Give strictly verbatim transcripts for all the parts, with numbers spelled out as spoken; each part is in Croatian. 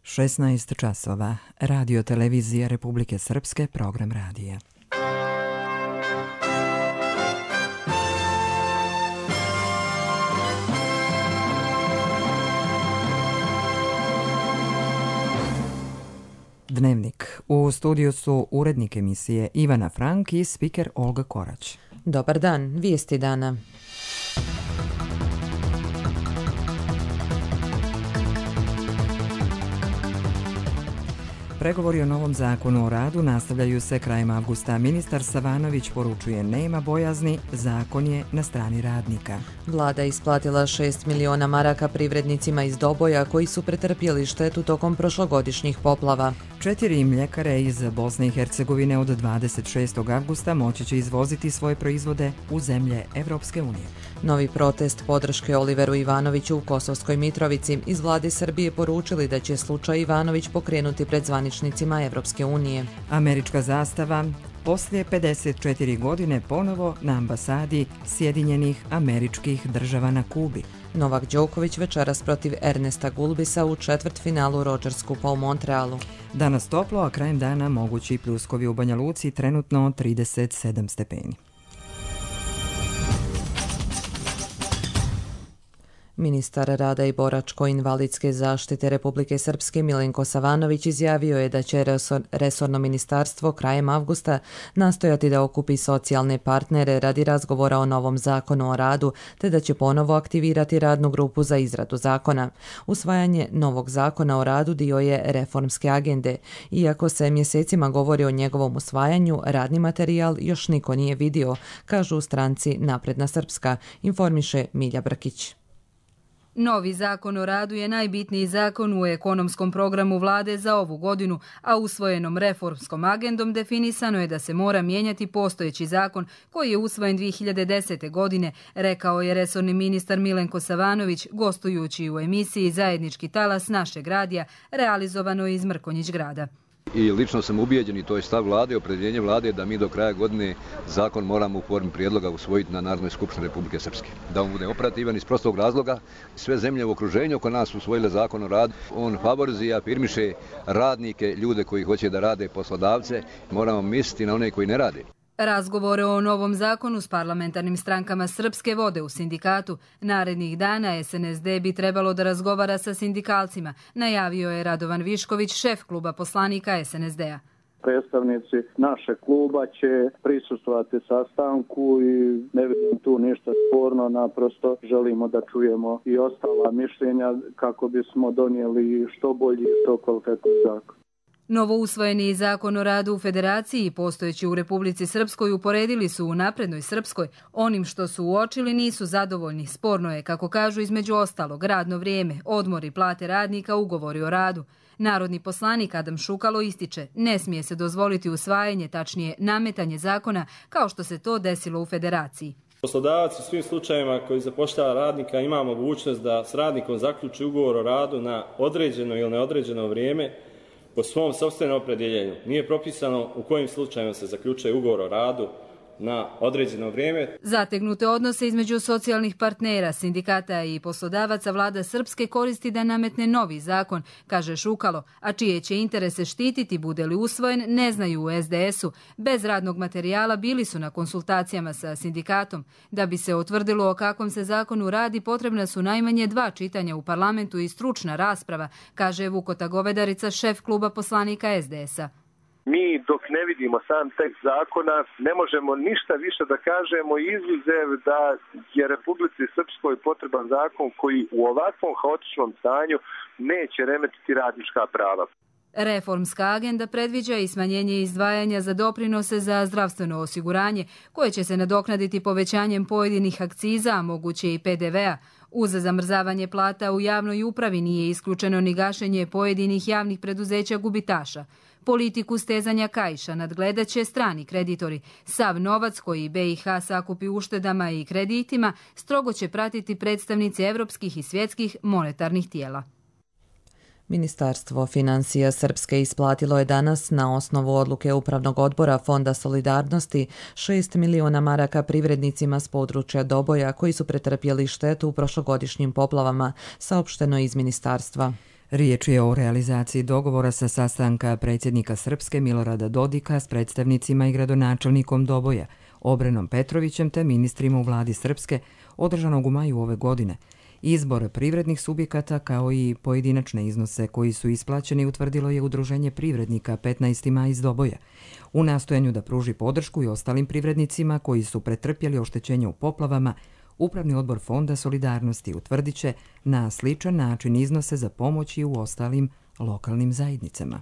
šesnaest časova. Radio televizija Republike Srpske, program radija. Dnevnik. U studiju su urednik emisije Ivana Frank i spiker Olga Korać. Dobar dan, vijesti dana. Pregovori o novom zakonu o radu nastavljaju se krajem avgusta. Ministar Savanović poručuje nema bojazni, zakon je na strani radnika. Vlada isplatila šest miliona maraka privrednicima iz Doboja koji su pretrpjeli štetu tokom prošlogodišnjih poplava. Četiri mljekare iz Bosne i Hercegovine od dvadeset šestog avgusta moći će izvoziti svoje proizvode u zemlje Evropske unije. Novi protest podrške Oliveru Ivanoviću u Kosovskoj Mitrovici. Iz vlade Srbije poručili da će slučaj Ivanović pokrenuti pred zvaničnicima Evropske unije. Američka zastava poslije pedeset četiri godine ponovo na ambasadi Sjedinjenih Američkih Država na Kubi. Novak Đoković večeras protiv Ernesta Gulbisa u četvrtfinalu Rogers Cupa u Montrealu. Danas toplo, a krajem dana mogući pljuskovi u Banja Luci, trenutno trideset sedam stepeni. Ministar rada i boračko-invalidske zaštite Republike Srpske Milenko Savanović izjavio je da će resorno ministarstvo krajem avgusta nastojati da okupi socijalne partnere radi razgovora o novom zakonu o radu, te da će ponovo aktivirati radnu grupu za izradu zakona. Usvajanje novog zakona o radu dio je reformske agende. Iako se mjesecima govori o njegovom usvajanju, radni materijal još niko nije vidio, kažu u stranci Napredna Srpska, informiše Milja Brkić. Novi zakon o radu je najbitniji zakon u ekonomskom programu vlade za ovu godinu, a usvojenom reformskom agendom definisano je da se mora mijenjati postojeći zakon koji je usvojen dvije hiljade desete. godine, rekao je resorni ministar Milenko Savanović gostujući u emisiji Zajednički talas našeg radija realizovano iz Mrkonjić grada. I lično sam ubijeđen, i to je stav vlade, opredjeljenje vlade, da mi do kraja godine zakon moramo u formi prijedloga usvojiti na Narodnoj skupštini Republike Srpske. Da on bude operativan iz prostog razloga. Sve zemlje u okruženju oko nas usvojile zakon o radu. On favorizuje i afirmiše radnike, ljude koji hoće da rade, poslodavce. Moramo misliti na one koji ne rade. Razgovore o novom zakonu s parlamentarnim strankama Srpske vode u sindikatu. Narednih dana S N S D bi trebalo da razgovara sa sindikalcima, najavio je Radovan Višković, šef kluba poslanika S N S D-a. Predstavnici našeg kluba će prisustvovati sastanku i ne vidim tu ništa sporno, naprosto želimo da čujemo i ostala mišljenja kako bismo donijeli što bolji i što kvalitetni zakon. Novo usvojeni zakon o radu u Federaciji i postojeći u Republici Srpskoj uporedili su u Naprednoj Srpskoj. Onim što su uočili nisu zadovoljni. Sporno je, kako kažu, između ostalog, radno vrijeme, odmori, plate radnika, ugovori o radu. Narodni poslanik Adam Šukalo ističe, ne smije se dozvoliti usvajanje, tačnije nametanje zakona, kao što se to desilo u Federaciji. Poslodavac u svim slučajevima koji zapošljava radnika ima mogućnost da s radnikom zaključi ugovor o radu na određeno ili neodređeno vrijeme po svom sopstvenom opredjeljenju. Nije propisano u kojim slučajima se zaključuje ugovor o radu na određeno vrijeme. Zategnute odnose između socijalnih partnera, sindikata i poslodavaca vlada Srpske koristi da nametne novi zakon, kaže Šukalo, a čije će interese štititi bude li usvojen ne znaju u S D S-u. Bez radnog materijala bili su na konsultacijama sa sindikatom. Da bi se utvrdilo o kakvom se zakonu radi, potrebna su najmanje dva čitanja u parlamentu i stručna rasprava, kaže Vukota Govedarica, šef kluba poslanika S D S-a. Mi dok ne vidimo sam tekst zakona ne možemo ništa više da kažemo izuzev da je Republici Srpskoj potreban zakon koji u ovakvom haotičnom stanju neće remetiti radnička prava. Reformska agenda predviđa i smanjenje izdvajanja za doprinose za zdravstveno osiguranje, koje će se nadoknaditi povećanjem pojedinih akciza, a moguće i P D V-a. Uz zamrzavanje plata u javnoj upravi nije isključeno ni gašenje pojedinih javnih preduzeća gubitaša. Politiku stezanja kaiša nadgledat će strani kreditori. Sav novac koji B i H sakupi uštedama i kreditima strogo će pratiti predstavnici evropskih i svjetskih monetarnih tijela. Ministarstvo financija Srpske isplatilo je danas na osnovu odluke Upravnog odbora Fonda solidarnosti šest miliona maraka privrednicima s područja Doboja koji su pretrpjeli štetu u prošlogodišnjim poplavama, saopšteno iz ministarstva. Riječ je o realizaciji dogovora sa sastanka predsjednika Srpske Milorada Dodika s predstavnicima i gradonačelnikom Doboja, Obrenom Petrovićem te ministrima u vladi Srpske, održanog u maju ove godine. Izbor privrednih subjekata kao i pojedinačne iznose koji su isplaćeni utvrdilo je Udruženje privrednika petnaesti maj iz Doboja. U nastojanju da pruži podršku i ostalim privrednicima koji su pretrpjeli oštećenje u poplavama, Upravni odbor Fonda Solidarnosti utvrdit će na sličan način iznose za pomoć i u ostalim lokalnim zajednicama.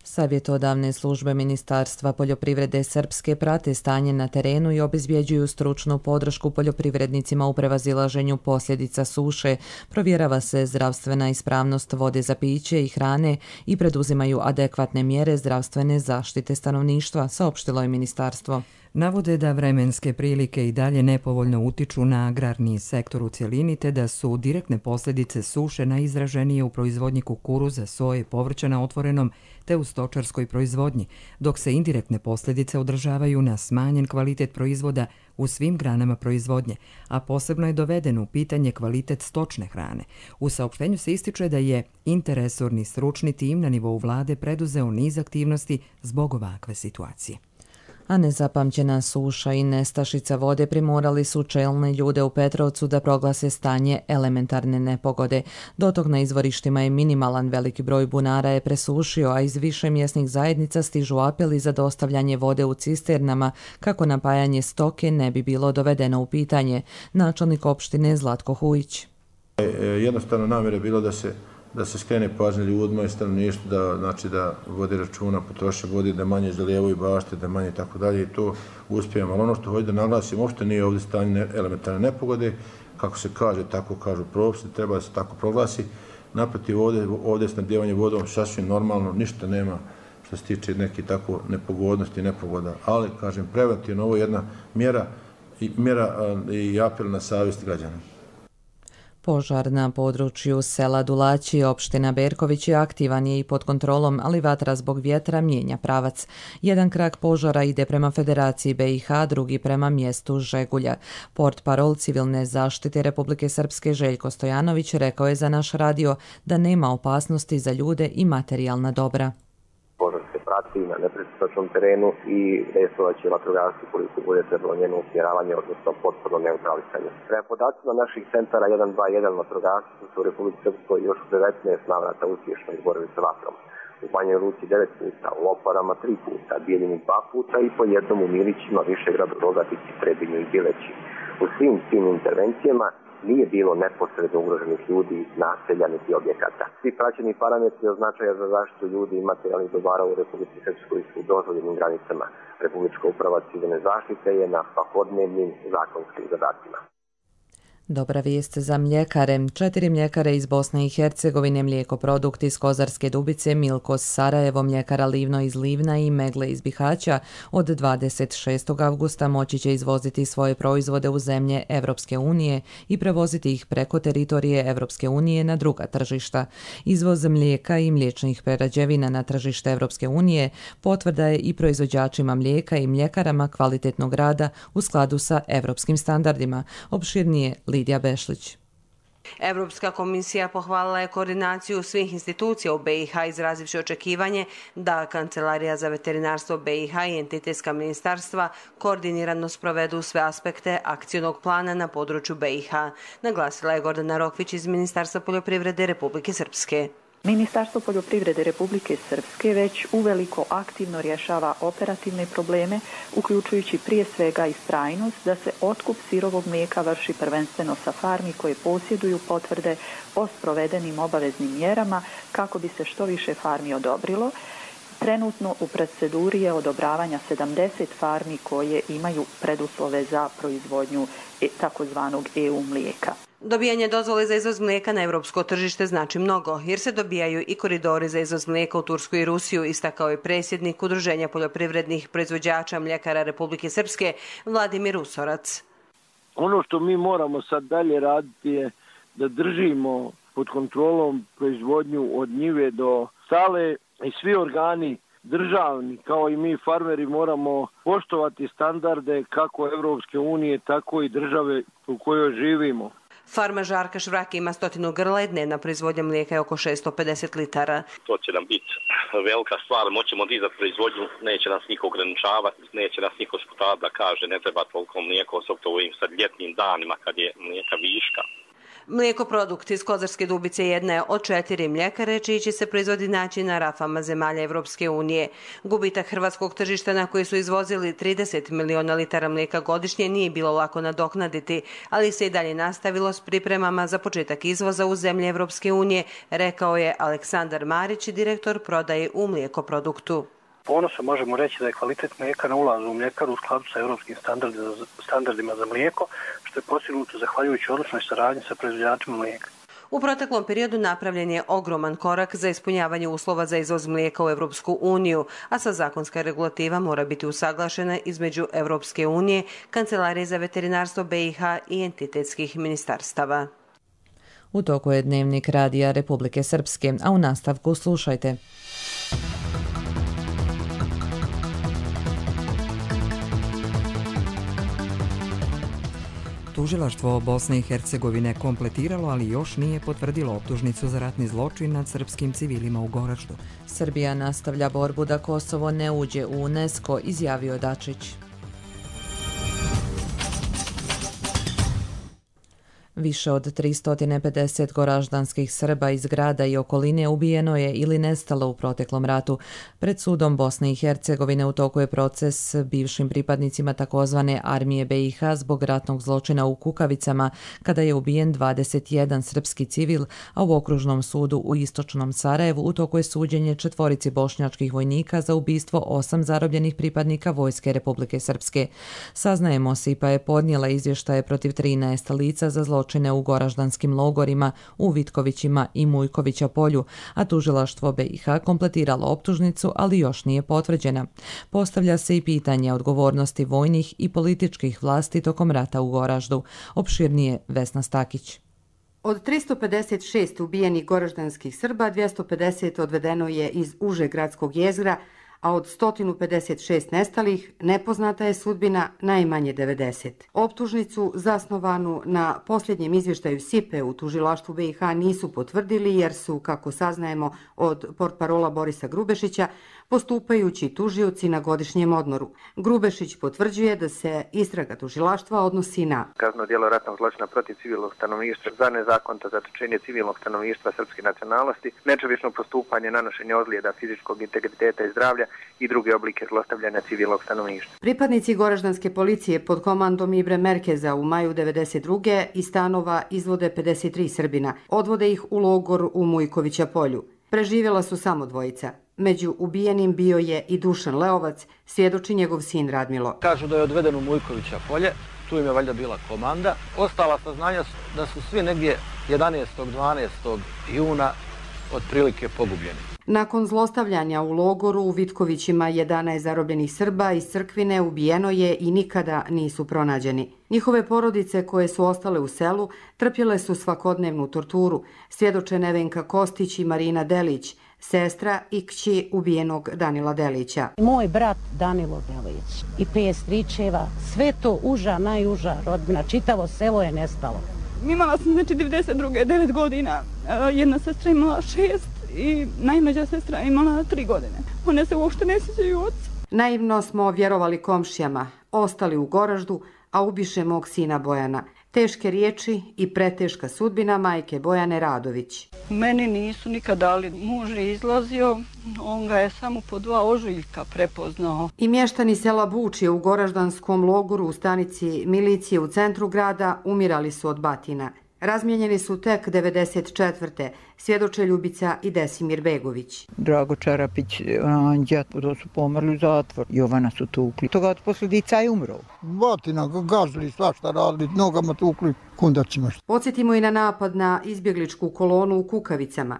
Savjetodavne službe Ministarstva poljoprivrede Srpske prate stanje na terenu i obezbjeđuju stručnu podršku poljoprivrednicima u prevazilaženju posljedica suše, provjerava se zdravstvena ispravnost vode za piće i hrane i preduzimaju adekvatne mjere zdravstvene zaštite stanovništva, saopštilo je ministarstvo. Navode da vremenske prilike i dalje nepovoljno utiču na agrarni sektor u cjelini te da su direktne posljedice suše najizraženije u proizvodnji kukuruza, soje, povrća na otvorenom te u stočarskoj proizvodnji, dok se indirektne posljedice održavaju na smanjen kvalitet proizvoda u svim granama proizvodnje, a posebno je doveden u pitanje kvalitet stočne hrane. U saopštenju se ističe da je interresorni stručni tim na nivou vlade preduzeo niz aktivnosti zbog ovakve situacije. A nezapamćena suša i nestašica vode primorali su čelne ljude u Petrovcu da proglase stanje elementarne nepogode. Dotok na izvorištima je minimalan, veliki broj bunara je presušio, a iz više mjesnih zajednica stižu apeli za dostavljanje vode u cisternama kako napajanje stoke ne bi bilo dovedeno u pitanje. Načelnik opštine Zlatko Hujić. Jednostavno namjera je bilo da se da se skrene pažnja ljudima i stanovništvu da znači da vode računa, potroše vode, da manje zalijevaju bašte, da manje tako dalje i to uspijemo. Ali ono što hoću da naglasim, uopšte nije ovdje stanje elementarne nepogode, kako se kaže, tako kažu propisi, treba da se tako proglasi. Naprotiv, ovdje, ovdje je snabdijevanje vodom sasvim normalno, ništa nema što se tiče neke tako nepogodnosti i nepogoda. Ali, kažem, preventivno, ovo je jedna mjera i, mjera i apel na savjest građana. Požar na području sela Dulaći, opština Berković je aktivan je i pod kontrolom, ali vatra zbog vjetra mijenja pravac. Jedan krak požara ide prema Federaciji B i H, drugi prema mjestu Žegulja. Portparol civilne zaštite Republike Srpske Željko Stojanović rekao je za naš radio da nema opasnosti za ljude i materijalna dobra. Požar se prati na nepristupačnom terenu i dejstvovat će vatrogasci koliko bude trebalo njeno usmjeravanje, odnosno potpuno neutralisanje. Prema podacima naših centara jedan dva jedan vatrogasci su u Republici Srpskoj još u devetnaest navrata uspješno izborili sa vatrom. U Banjoj Luci devet puta, u Loparama tri puta, Bijeljini dva puta i po jednom u Milićima, Višegradu, Rogatici, Trebinju i Bileći. U svim tim intervencijama nije bilo neposredno ugroženih ljudi, naselja niti objekata. Svi praćeni parametri od značaja za zaštitu ljudi i materijalnih dobara u Republici Srpskoj su u dozvoljenim granicama. Republička uprava civilne zaštite je na svakodnevnim zakonskim zadacima. Dobra vijest za mljekare. Četiri mljekare iz Bosne i Hercegovine, Mlijekoprodukti iz Kozarske Dubice, Milkos Sarajevo, Mljekara Livno iz Livna i Megle iz Bihaća od dvadeset šestog avgusta moći će izvoziti svoje proizvode u zemlje Evropske unije i prevoziti ih preko teritorije Evropske unije na druga tržišta. Izvoz mlijeka i mliječnih prerađevina na tržište Evropske unije potvrda je i proizvođačima mlijeka i mljekarama kvalitetnog rada u skladu sa evropskim standardima. Opširnije Lidija Bešlić. Evropska komisija pohvalila je koordinaciju svih institucija u B i H izrazivši očekivanje da Kancelarija za veterinarstvo B i H i entitetska ministarstva koordinirano sprovedu sve aspekte akcionog plana na području B i H, naglasila je Gordana Rokvić iz Ministarstva poljoprivrede Republike Srpske. Ministarstvo poljoprivrede Republike Srpske već uveliko aktivno rješava operativne probleme, uključujući prije svega i trajnost da se otkup sirovog mlijeka vrši prvenstveno sa farmi koje posjeduju potvrde o sprovedenim obaveznim mjerama kako bi se što više farmi odobrilo. Trenutno u proceduri je odobravanja sedamdeset farmi koje imaju preduslove za proizvodnju takozvanog E U mlijeka. Dobijanje dozvole za izvoz mlijeka na evropsko tržište znači mnogo, jer se dobijaju i koridori za izvoz mlijeka u Tursku i Rusiju, istakao je predsjednik Udruženja poljoprivrednih proizvođača mljekara Republike Srpske Vladimir Usorac. Ono što mi moramo sad dalje raditi je da držimo pod kontrolom proizvodnju od njive do sale i svi organi državni, kao i mi farmeri, moramo poštovati standarde kako Evropske unije, tako i države u kojoj živimo. Farma Žarka Švrake ima stotinu grla i dnevna proizvodnja mlijeka je oko šesto pedeset litara. To će nam biti velika stvar, moćemo dizati proizvodnju, neće nas niko ograničavati, neće nas niko sputati da kaže ne treba toliko mlijeko, osobito u ovim sad ljetnim danima kad je mlijeka viška. Mlijeko produkt iz Kozarske Dubice jedna je od četiri mljekare čiji će se proizvodi naći na rafama zemalja Evropske unije. Gubitak hrvatskog tržišta na koji su izvozili trideset miliona litara mlijeka godišnje nije bilo lako nadoknaditi, ali se i dalje nastavilo s pripremama za početak izvoza u zemlje Evropske unije, rekao je Aleksandar Marić, direktor prodaje u mlijekoproduktu. Ponosno možemo reći da je kvalitet mlijeka na ulazu u mljekaru u skladu sa europskim standardima, standardima za mlijeko, što je postignuto zahvaljujući odličnoj saradnji sa proizvođačima mlijeka. U proteklom periodu napravljen je ogroman korak za ispunjavanje uslova za izvoz mlijeka u Evropsku uniju, a sa zakonska regulativa mora biti usaglašena između Evropske unije, Kancelarije za veterinarstvo B i H i entitetskih ministarstava. U toku je dnevnik Radija Republike Srpske, a u nastavku slušajte. Tužilaštvo Bosne i Hercegovine kompletiralo, ali još nije potvrdilo optužnicu za ratni zločin nad srpskim civilima u Goraždu. Srbija nastavlja borbu da Kosovo ne uđe u UNESCO, izjavio Dačić. Više od tristo pedeset goraždanskih Srba iz grada i okoline ubijeno je ili nestalo u proteklom ratu. Pred sudom Bosne i Hercegovine u toku je proces bivšim pripadnicima takozvane armije B i H zbog ratnog zločina u Kukavicama, kada je ubijen dvadeset jedan srpski civil, a u okružnom sudu u istočnom Sarajevu u toku je suđenje četvorici bošnjačkih vojnika za ubistvo osam zarobljenih pripadnika Vojske Republike Srpske. Saznajemo se, pa je podnijela izvještaje protiv trinaest lica za zločine u goraždanskim logorima u Vitkovićima i Mujkovića polju, a tužilaštvo B i H kompletiralo optužnicu, ali još nije potvrđena. Postavlja se i pitanje odgovornosti vojnih i političkih vlasti tokom rata u Goraždu. Opširnije Vesna Stakić. Od tristo pedeset šest ubijenih goraždanskih Srba, dvjesto pedeset odvedeno je iz užeg gradskog jezgra, a od sto pedeset šest nestalih nepoznata je sudbina najmanje devedeset. Optužnicu zasnovanu na posljednjem izvještaju S I P E u tužilaštvu B i H nisu potvrdili jer su, kako saznajemo od portparola Borisa Grubešića, postupajući tužioci na godišnjem odmoru. Grubešić potvrđuje da se istraga tužilaštva odnosi na kazneno djelo ratnog zločina protiv civilnog stanovništva za nezakonito zatočenje civilnog stanovništva srpske nacionalnosti, nečovječno postupanje, nanošenje ozljeda fizičkog integriteta i zdravlja i druge oblike zlostavljanja civilnog stanovništva. Pripadnici goraždanske policije pod komandom Ibre Merkeza u maju devedeset druge iz stanova izvode pedeset tri Srbina. Odvode ih u logor u Mujkovića polju. Preživjela su samo dvojica. Među ubijenim bio je i Dušan Leovac, svjedoči njegov sin Radmilo. Kažu da je odveden u Mujkovića polje, tu im je valjda bila komanda. Ostala saznanja su da su svi negdje jedanaestog dvanaestog juna otprilike pogubljeni. Nakon zlostavljanja u logoru u Vitkovićima jedanaest zarobljenih Srba iz Crkvine ubijeno je i nikada nisu pronađeni. Njihove porodice koje su ostale u selu trpjele su svakodnevnu torturu, svjedoče Nevenka Kostić i Marina Delić, sestra i kći ubijenog Danila Delića. Moj brat Danilo Delić i pet stričeva, sve to uža, najuža rodbina, čitavo selo je nestalo. Imala sam znači devedeset druge devet godina, jedna sestra imala šest i najmlađa sestra imala tri godine. One se uopšte ne sjećaju oca. Naivno smo vjerovali komšijama, ostali u Goraždu, a ubiše mog sina Bojana. Teške riječi i preteška sudbina majke Bojane Radović. Meni nisu nikad dali, muž je izlazio, on ga je samo po dva ožiljka prepoznao. I mještani sela Bučje u goraždanskom logoru u stanici milicije u centru grada umirali su od batina. Razmijenjeni su tek devedeset četvrte svjedoče Ljubica i Desimir Begović. Drago Čarapić, Anđa, to su pomrli u zatvor. Jovana su tukli. Toga od posljedica je umro. Batina, gazili, svašta radili, nogama tukli, kundacima. Podsjetimo i na napad na izbjegličku kolonu u Kukavicama.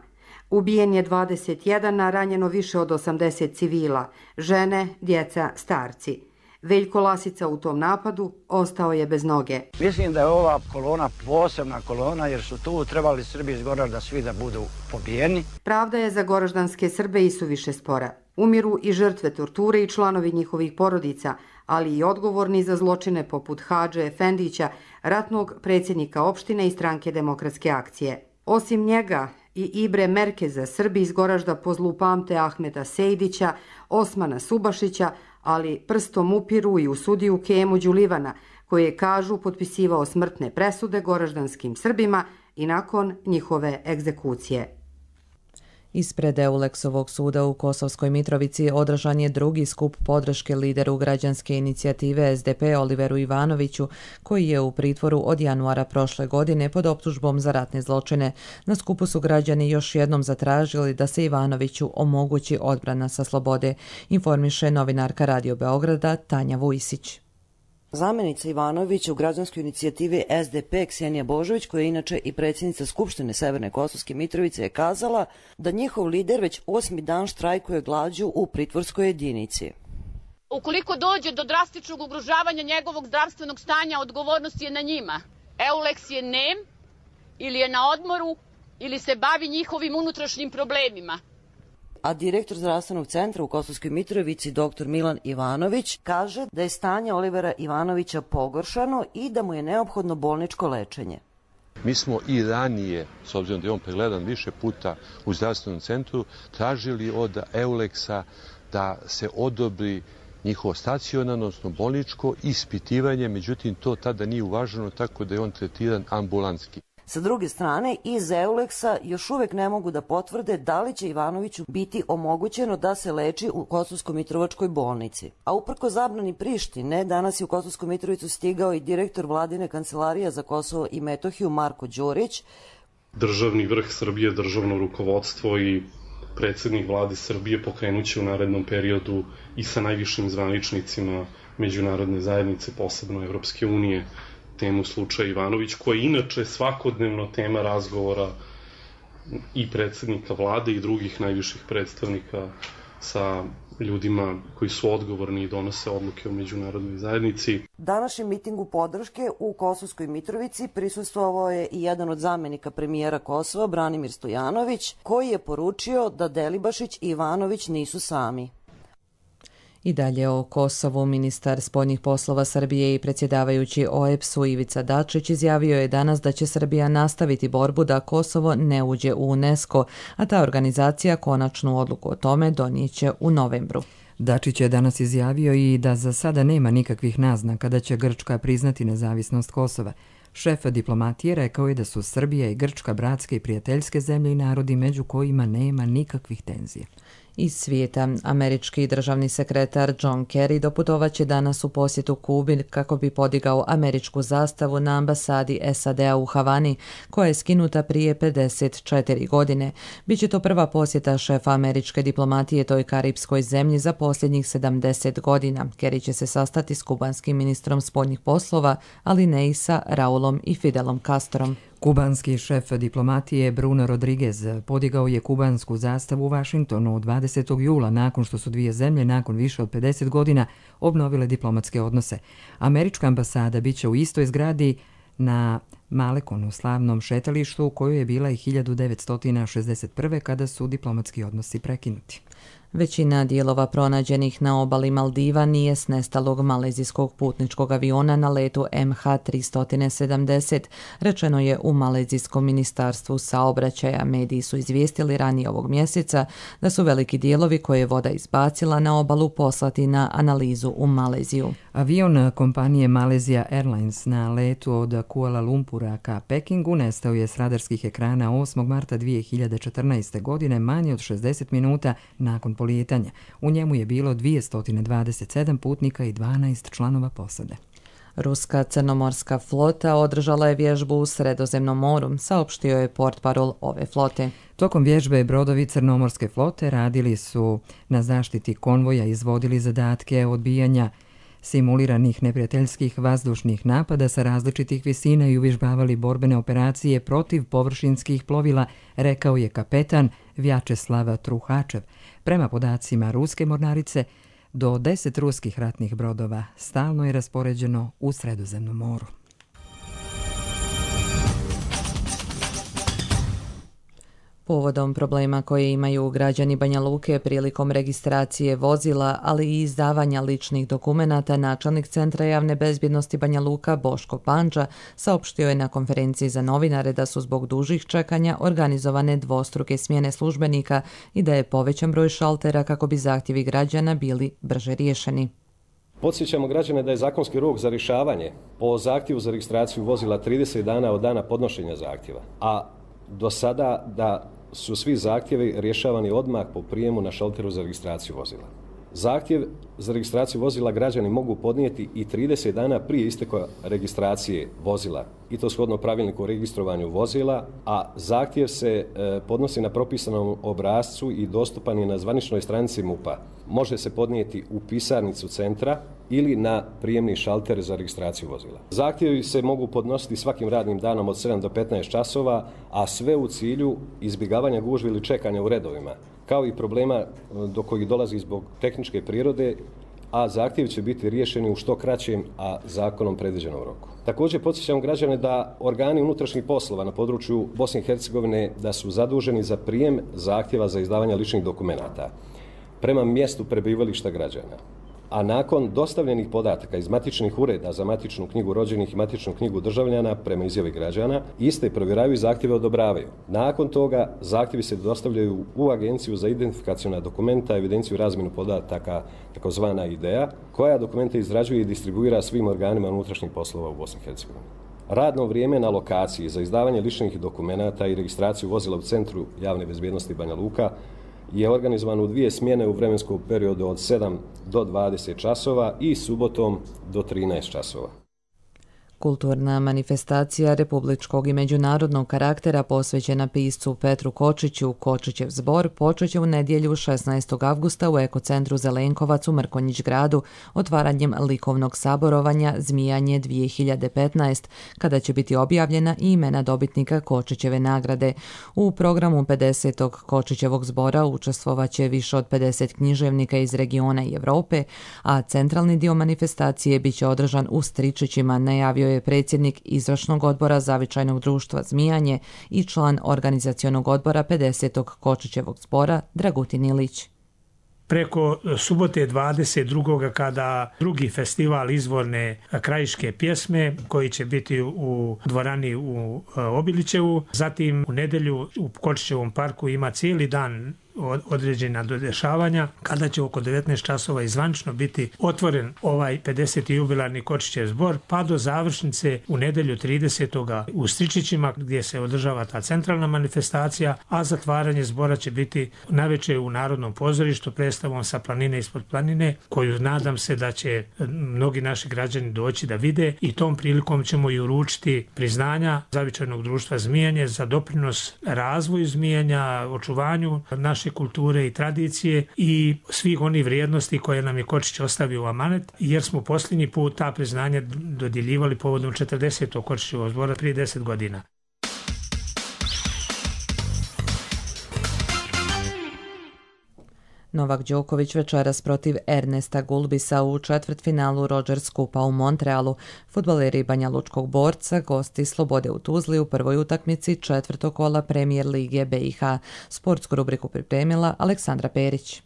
Ubijen je dvadeset jedan, a ranjeno više od osamdeset civila, žene, djeca, starci. Veljko Lasica u tom napadu ostao je bez noge. Mislim da je ova kolona posebna kolona jer su tu trebali Srbi iz Goražda svi da budu pobijeni. Pravda je za goraždanske Srbe i suviše spora. Umiru i žrtve torture i članovi njihovih porodica, ali i odgovorni za zločine poput Hadže Efendića, ratnog predsjednika opštine i stranke Demokratske akcije. Osim njega i Ibre Merkeza, Srbi iz Goražda po zlu pamte Ahmeta Sejdića, Osmana Subašića, ali prstom upiru i u sudiju Kemu Đulivana, koji je, kažu, potpisivao smrtne presude goraždanskim Srbima i nakon njihove egzekucije. Ispred Euleksovog suda u Kosovskoj Mitrovici održan je drugi skup podrške lideru građanske inicijative S D P Oliveru Ivanoviću, koji je u pritvoru od januara prošle godine pod optužbom za ratne zločine. Na skupu su građani još jednom zatražili da se Ivanoviću omogući odbrana sa slobode, informiše novinarka Radio Beograda Tanja Vujsić. Zamjenica Ivanovića u građanskoj inicijativi S D P Ksenija Božović, koja je inače i predsjednica Skupštine Severne Kosovske Mitrovice, je kazala da njihov lider već osmi dan štrajkuje glađu u pritvorskoj jedinici. Ukoliko dođe do drastičnog ugrožavanja njegovog zdravstvenog stanja, odgovornost je na njima. Euleks je nem, ili je na odmoru, ili se bavi njihovim unutrašnjim problemima. A direktor zdravstvenog centra u Kosovskoj Mitrovici, doktor Milan Ivanović, kaže da je stanje Olivera Ivanovića pogoršano i da mu je neophodno bolničko lečenje. Mi smo i ranije, s obzirom da je on pregledan više puta u zdravstvenom centru, tražili od Euleksa da se odobri njihovo stacionarno, odnosno bolničko ispitivanje, međutim to tada nije uvaženo, tako da je on tretiran ambulantski. Sa druge strane, iz Euleksa još uvijek ne mogu da potvrde da li će Ivanoviću biti omogućeno da se leči u Kosovsko-Mitrovačkoj bolnici. A uprko zabrani Prištine, danas je u Kosovsku Mitrovicu stigao i direktor vladine kancelarije za Kosovo i Metohiju Marko Đurić. Državni vrh Srbije, državno rukovodstvo i predsjednik vlade Srbije pokrenuće u narednom periodu i sa najvišim zvaničnicima međunarodne zajednice, posebno Evropske unije, temu slučaja Ivanović, koja je inače svakodnevno tema razgovora i predsjednika vlade i drugih najviših predstavnika sa ljudima koji su odgovorni i donose odluke u međunarodnoj zajednici. Današnjem mitingu podrške u Kosovskoj Mitrovici prisustvovao je i jedan od zamjenika premijera Kosova, Branimir Stojanović, koji je poručio da Delibašić i Ivanović nisu sami. I dalje o Kosovu, ministar spoljnih poslova Srbije i predsjedavajući O E B S-u Ivica Dačić izjavio je danas da će Srbija nastaviti borbu da Kosovo ne uđe u UNESCO, a ta organizacija konačnu odluku o tome donijeće u novembru. Dačić je danas izjavio i da za sada nema nikakvih naznaka da će Grčka priznati nezavisnost Kosova. Šef diplomatije rekao je da su Srbija i Grčka bratske i prijateljske zemlje i narodi među kojima nema nikakvih tenzija. Iz svijeta, američki državni sekretar John Kerry doputovaće danas u posjetu Kubi kako bi podigao američku zastavu na ambasadi S A D-a u Havani, koja je skinuta prije pedeset četiri godine. Biće to prva posjeta šefa američke diplomatije toj karipskoj zemlji za posljednjih sedamdeset godina. Kerry će se sastati s kubanskim ministrom spoljnih poslova, ali ne i sa Raulom i Fidelom Castrom. Kubanski šef diplomatije Bruno Rodriguez podigao je kubansku zastavu u Vašingtonu dvadesetog jula nakon što su dvije zemlje nakon više od pedeset godina obnovile diplomatske odnose. Američka ambasada biće u istoj zgradi na Malekonu, slavnom šetalištu u kojoj je bila i hiljadu devetsto šezdeset prve. kada su diplomatski odnosi prekinuti. Većina dijelova pronađenih na obali Maldiva nije s nestalog malezijskog putničkog aviona na letu M H tristo sedamdeset, rečeno je u Malezijskom ministarstvu saobraćaja. Mediji su izvijestili ranije ovog mjeseca da su veliki dijelovi koje je voda izbacila na obalu poslati na analizu u Maleziju. Avion kompanije Malaysia Airlines na letu od Kuala Lumpura ka Pekingu nestao je s radarskih ekrana osmog marta dvije hiljade četrnaeste. godine, manje od šezdeset minuta nakon polijetanja. U njemu je bilo dvjesto dvadeset sedam putnika i dvanaest članova posade. Ruska crnomorska flota održala je vježbu u Sredozemnom moru, saopštio je portparol ove flote. Tokom vježbe brodovi crnomorske flote radili su na zaštiti konvoja, izvodili zadatke odbijanja simuliranih neprijateljskih vazdušnih napada sa različitih visina i uvježbavali borbene operacije protiv površinskih plovila, rekao je kapetan Vjačeslav Truhačev. Prema podacima ruske mornarice, do deset ruskih ratnih brodova stalno je raspoređeno u Sredozemnom moru. Povodom problema koje imaju građani Banja Luke prilikom registracije vozila, ali i izdavanja ličnih dokumenata, načelnik Centra javne bezbjednosti Banja Luka Boško Panđa saopštio je na konferenciji za novinare da su zbog dužih čekanja organizovane dvostruke smjene službenika i da je povećan broj šaltera kako bi zahtjevi građana bili brže riješeni. Podsjećamo građane da je zakonski rok za rješavanje po zahtjevu za registraciju vozila trideset dana od dana podnošenja zahtjeva, a do sada da su svi zahtjevi rješavani odmah po prijemu na šalteru za registraciju vozila. Zahtjev za registraciju vozila građani mogu podnijeti i trideset dana prije isteka registracije vozila, i to shodno pravilniku o registrovanju vozila, a zahtjev se e, podnosi na propisanom obrascu i dostupan je na zvaničnoj stranici M U P-a. Može se podnijeti u pisarnicu centra ili na prijemni šalter za registraciju vozila. Zahtjevi se mogu podnositi svakim radnim danom od sedam do petnaest časova, a sve u cilju izbjegavanja gužvi ili čekanja u redovima, kao i problema do kojih dolazi zbog tehničke prirode, a zahtjevi će biti riješeni u što kraćem, a zakonom predviđenom roku. Također podsjećam građane da organi unutrašnjih poslova na području Bosne i Hercegovine da su zaduženi za prijem zahtjeva za izdavanje ličnih dokumenata prema mjestu prebivališta građana. A nakon dostavljenih podataka iz matičnih ureda za matičnu knjigu rođenih i matičnu knjigu državljana prema izjavi građana, iste provjeravaju i zahtjeve odobravaju. Nakon toga zahtjevi se dostavljaju u Agenciju za identifikaciona dokumenta, evidenciju i razmjenu podataka, takozvana I D E A, koja dokumente izrađuje i distribuira svim organima unutrašnjih poslova u Bosni i Hercegovini. Radno vrijeme na lokaciji za izdavanje ličnih dokumenata i registraciju vozila u Centru javne bezbjednosti Banja Luka je organizovan u dvije smjene u vremenskom periodu od sedam do dvadeset časova i subotom do trinaest časova. Kulturna manifestacija republičkog i međunarodnog karaktera posvećena piscu Petru Kočiću, Kočićev zbor, počet će u nedjelju šesnaestog avgusta u Ekocentru Zelenkovac u Mrkonjić gradu otvaranjem likovnog saborovanja Zmijanje dvije hiljade petnaest, kada će biti objavljena i imena dobitnika Kočićeve nagrade. U programu pedesetog Kočićevog zbora učestvovaće više od pedeset književnika iz regiona i Europe, a centralni dio manifestacije biće održan u Stričićima, najavio je predsjednik izvršnog odbora Zavičajnog društva Zmijanje i član organizacionog odbora pedesetog Kočićevog zbora Dragutin Ilić. Preko subote dvadeset drugog kada drugi festival izvorne krajiške pjesme koji će biti u dvorani u Obilićevu, zatim u nedjelju u Kočićevom parku ima cijeli dan određena dodešavanja, kada će oko devetnaest časova izvančno biti otvoren ovaj pedeseti jubilarni Kočićev zbor, pa do završnice u nedjelju tridesetog u Stričićima gdje se održava ta centralna manifestacija, a zatvaranje zbora će biti navečer u Narodnom pozorištu predstavom Sa planine ispod planine, koju nadam se da će mnogi naši građani doći da vide, i tom prilikom ćemo i uručiti priznanja Zavičajnog društva Zmijanje za doprinos razvoju Zmijanja, očuvanju naše kulture i tradicije i svih onih vrijednosti koje nam je Kočić ostavio u amanet, jer smo posljednji put ta priznanja dodjeljivali povodom četrdesetog Kočićevog zbora prije deset godina. Novak Đoković večeras protiv Ernesta Gulbisa u četvrtfinalu Rogers Kupa u Montrealu. Fudbaleri Banja Lučkog Borca gosti Slobode u Tuzli u prvoj utakmici četvrtog kola Premier lige B i H. Sportsku rubriku pripremila Aleksandra Perić.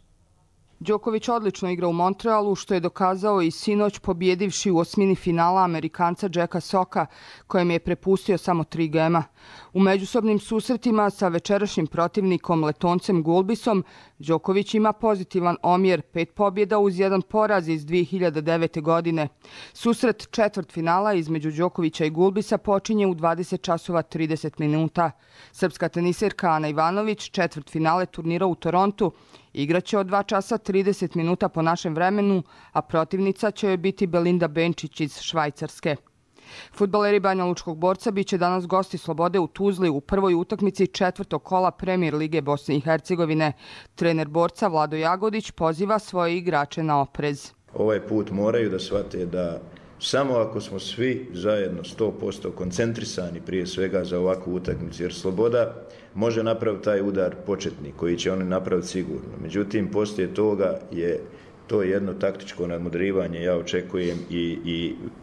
Đoković odlično igra u Montrealu, što je dokazao i sinoć pobjedivši u osmini finala Amerikanca Jacka Socka, kojem je prepustio samo tri gema. U međusobnim susretima sa večerašnjim protivnikom Letoncem Gulbisom, Đoković ima pozitivan omjer, pet pobjeda uz jedan poraz iz dvije hiljade devete. godine. Susret četvrtfinala između Đokovića i Gulbisa počinje u dvadeset časova trideset minuta. Srpska teniserka Ana Ivanović četvrtfinale turnira u Torontu igraće od dva časa trideset minuta po našem vremenu, a protivnica će joj biti Belinda Benčić iz Švajcarske. Fudbaleri Banja Lučkog Borca biće danas gosti Slobode u Tuzli u prvoj utakmici četvrtog kola Premier lige Bosne i Hercegovine. Trener Borca Vlado Jagodić poziva svoje igrače na oprez. Ovaj put moraju da shvate da samo ako smo svi zajedno sto posto koncentrisani prije svega za ovakvu utakmicu, jer Sloboda može napraviti taj udar početni koji će oni napraviti sigurno. Međutim, poslije toga je to jedno taktičko nadmudrivanje ja očekujem i, i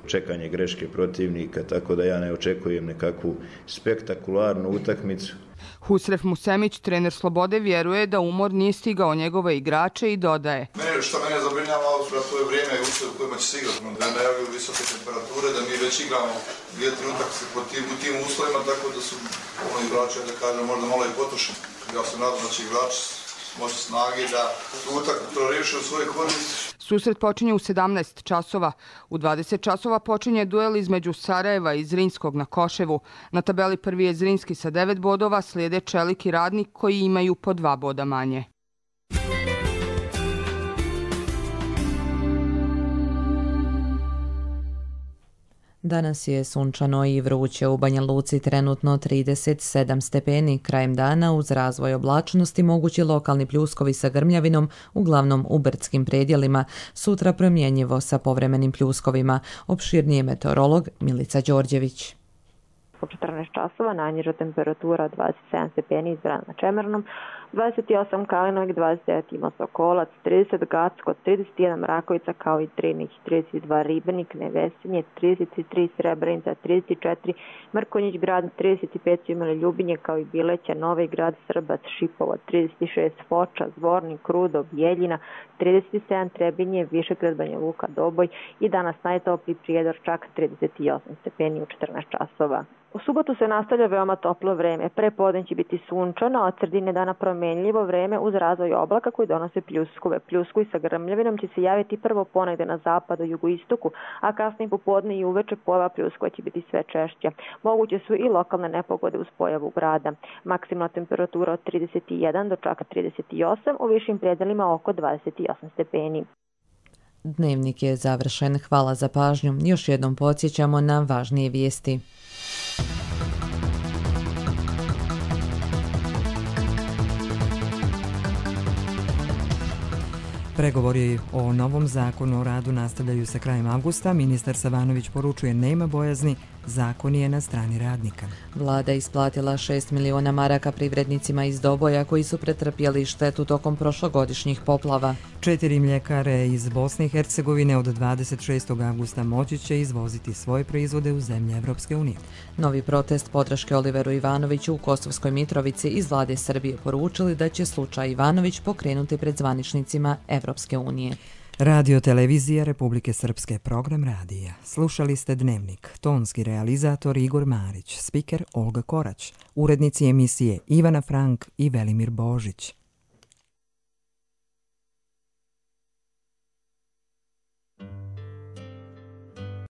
čekanje greške protivnika, tako da ja ne očekujem nekakvu spektakularnu utakmicu. Husref Musemić, trener Slobode, vjeruje da umor nije stigao njegove igrače i dodaje. Mene, što mene zabrinjava, to je vrijeme u kojima će se igrati, da ne najavljaju visoke temperature, da mi već igramo ljetni utakmice u tim uslovima, tako da su ono igrači, da kažem, možda malo i potrošeni. Ja se nadam da će igrači moći snage da tu utakmicu riješe u svojoj korist. Susret počinje u sedamnaest časova. U dvadeset časova počinje duel između Sarajeva i Zrinskog na Koševu. Na tabeli prvi je Zrinski sa devet bodova, slijede Čelik i Radnik koji imaju po dva boda manje. Danas je sunčano i vruće, u Banja Luci trenutno trideset sedam stepeni. Krajem dana uz razvoj oblačnosti mogući lokalni pljuskovi sa grmljavinom, uglavnom u brdskim predjelima. Sutra promjenjivo sa povremenim pljuskovima. Opširnije meteorolog Milica Đorđević. U četrnaest časova najniža temperatura dvadeset sedam stepeni izbrana na Čemernom, dvadeset osam Kalinovik, dvadeset devet Imos Okolac, trideset Gacko, trideset jedan Mrakovica kao i Trinih, trideset dva Ribenik, Nevesinje, trideset tri Srebrenica, trideset četiri Mrkonjić grad, trideset pet su imali Ljubinje kao i Bileća, Novi grad, Srbac, Šipovo, trideset šest Foča, Zvornik, Rudo, Bjeljina, trideset sedam Trebinje, Višegrad, Banja Luka, Doboj i danas najtopli Prijedor, čak trideset osam stepeni u četrnaest časova. U subotu se nastavlja veoma toplo vreme. Prepodne će biti sunčano, a od sredine dana promenljivo vreme uz razvoj oblaka koji donose pljuskove. Pljuskovi sa grmljavinom će se javiti prvo ponegde na zapadu, jugoistoku, a kasnije popodne i uveče pojava pljuskova će biti sve češća. Moguće su i lokalne nepogode uz pojavu grada. Maksimalna temperatura od trideset jedan do čak trideset osam, u višim predelima oko dvadeset osam stepeni. Dnevnik je završen. Hvala za pažnju. Još jednom podsjećamo na važnije vijesti. Pregovori o novom zakonu o radu nastavljaju se krajem avgusta. Ministar Savanović poručuje nema bojazni, zakon je na strani radnika. Vlada isplatila šest miliona maraka privrednicima iz Doboja koji su pretrpjeli štetu tokom prošlogodišnjih poplava. Četiri mljekare iz Bosne i Hercegovine od dvadeset šestog avgusta moći će izvoziti svoje proizvode u zemlje Evropske unije. Novi protest podrške Oliveru Ivanoviću u Kosovskoj Mitrovici iz vlade Srbije poručili da će slučaj Ivanović pokrenuti pred zvaničnicima Evropske unije. Radio Televizija Republike Srpske, program radija. Slušali ste Dnevnik, tonski realizator Igor Marić, spiker Olga Korać, urednici emisije Ivana Frank i Velimir Božić.